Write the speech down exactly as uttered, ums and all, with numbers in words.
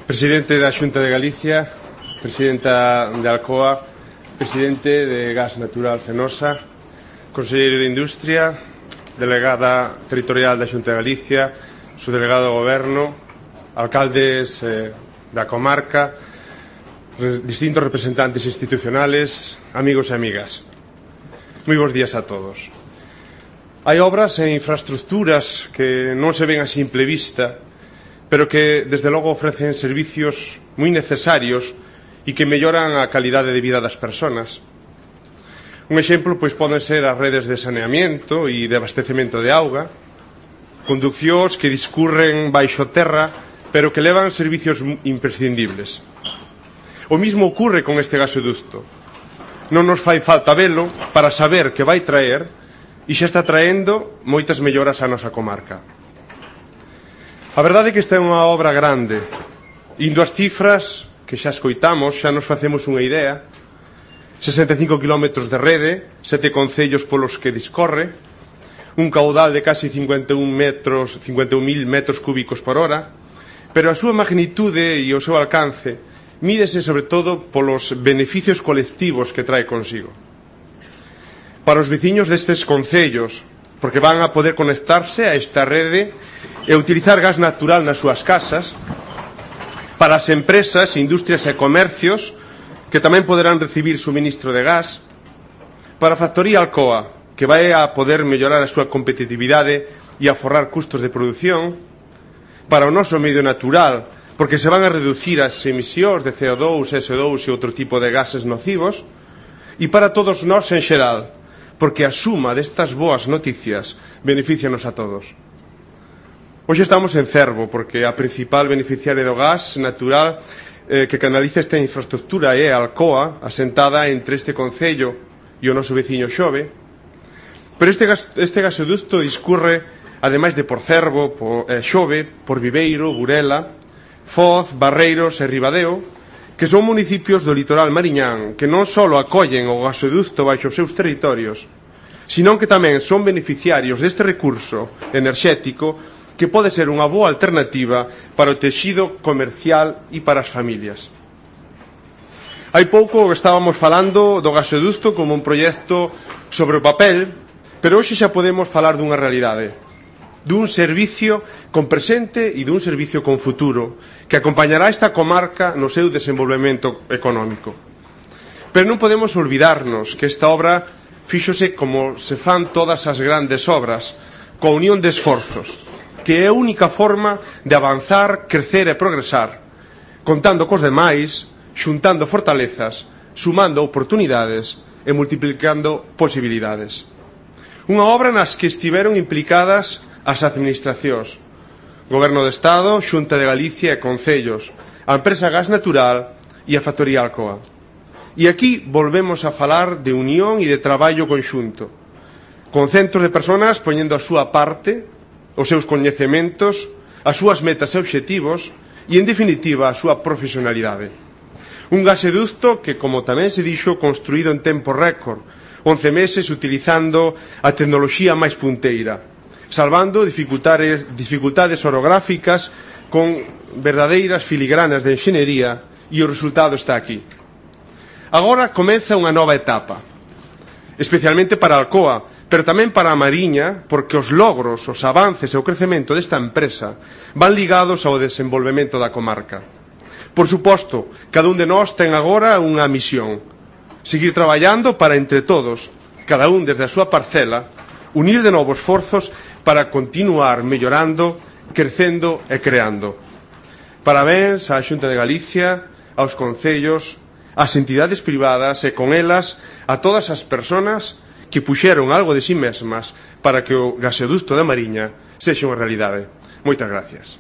Presidente da Xunta de Galicia, Presidenta de Alcoa, Presidente de Gas Natural Fenosa, Conselleiro de Industria, Delegada Territorial da Xunta de Galicia, Subdelegado do Goberno, alcaldes eh, da comarca, re, distintos representantes institucionales, amigos e amigas. Moi bons días a todos. Hai obras e infraestructuras que non se ven a simple vista, pero que, desde logo, ofrecen servicios moi necesarios e que melloran a calidade de vida das persoas. Un exemplo pois poden ser as redes de saneamento e de abastecemento de auga, conduccións que discurren baixo terra, pero que levan servicios imprescindibles. O mismo ocurre con este gasoducto. Non nos fai falta velo para saber que vai traer e xa está traendo moitas melloras á nosa comarca. A verdade é que esta é unha obra grande. Indo as cifras que xa escoitamos, xa nos facemos unha idea. sesenta e cinco kilómetros de rede, sete concellos polos que discorre, un caudal de casi cincuenta e un metros, cincuenta e un mil metros cúbicos por hora, pero a súa magnitude e o seu alcance mídese sobre todo polos beneficios colectivos que trae consigo. Para os veciños destes concellos, porque van a poder conectarse a esta rede e utilizar gas natural nas súas casas, para as empresas, industrias e comercios, que tamén poderán recibir suministro de gas, para a factoría Alcoa, que vai a poder mellorar a súa competitividade e aforrar custos de produción, para o noso medio natural, porque se van a reducir as emisións de C O dous, S O dous e outro tipo de gases nocivos, e para todos nós en xeral, porque a suma destas boas noticias beneficianos a todos. Hoxe estamos en Cervo, porque a principal beneficiaria do gas natural eh, que canaliza esta infraestructura é a Alcoa, asentada entre este concello e o noso veciño Xove. Pero este, gas, este gasoducto discurre, ademais de por Cervo, por eh, Xove, por Viveiro, Burela, Foz, Barreiros e Ribadeo, que son municipios do litoral mariñán que non só acollen o gasoducto baixo os seus territorios, senón que tamén son beneficiarios deste recurso enerxético que pode ser unha boa alternativa para o texido comercial e para as familias. Hai pouco estábamos falando do gasoducto como un proxecto sobre o papel, pero hoxe xa podemos falar dunha realidade, dun servicio con presente e dun servicio con futuro que acompañará esta comarca no seu desenvolvemento económico. Pero non podemos olvidarnos que esta obra fíxose como se fan todas as grandes obras, coa unión de esforzos, que é a única forma de avanzar, crecer e progresar, contando cos demais, xuntando fortalezas, sumando oportunidades e multiplicando posibilidades. Unha obra nas que estiveron implicadas as administracións, Goberno do Estado, Xunta de Galicia e Concellos, a empresa Gas Natural e a factoría Alcoa. E aquí volvemos a falar de unión e de traballo conxunto, con centros de persoas poñendo a súa parte, os seus coñecementos, as súas metas e obxectivos e, en definitiva, a súa profesionalidade. Un gasoducto que, como tamén se dixo, construído en tempo récord, once meses utilizando a tecnoloxía máis punteira, salvando dificultades, dificultades orográficas con verdadeiras filigranas de enxeñería, e o resultado está aquí. Agora comeza unha nova etapa, especialmente para Alcoa, pero tamén para a Mariña, porque os logros, os avances e o crecemento desta empresa van ligados ao desenvolvemento da comarca. Por suposto, cada un de nós ten agora unha misión: seguir traballando para, entre todos, cada un desde a súa parcela, unir de novo esforzos para continuar mellorando, crecendo e creando. Parabéns á Xunta de Galicia, aos concellos, ás entidades privadas e con elas a todas as persoas que puxeron algo de si mesmas para que o gasoducto da Mariña sexa unha realidade. Moitas gracias.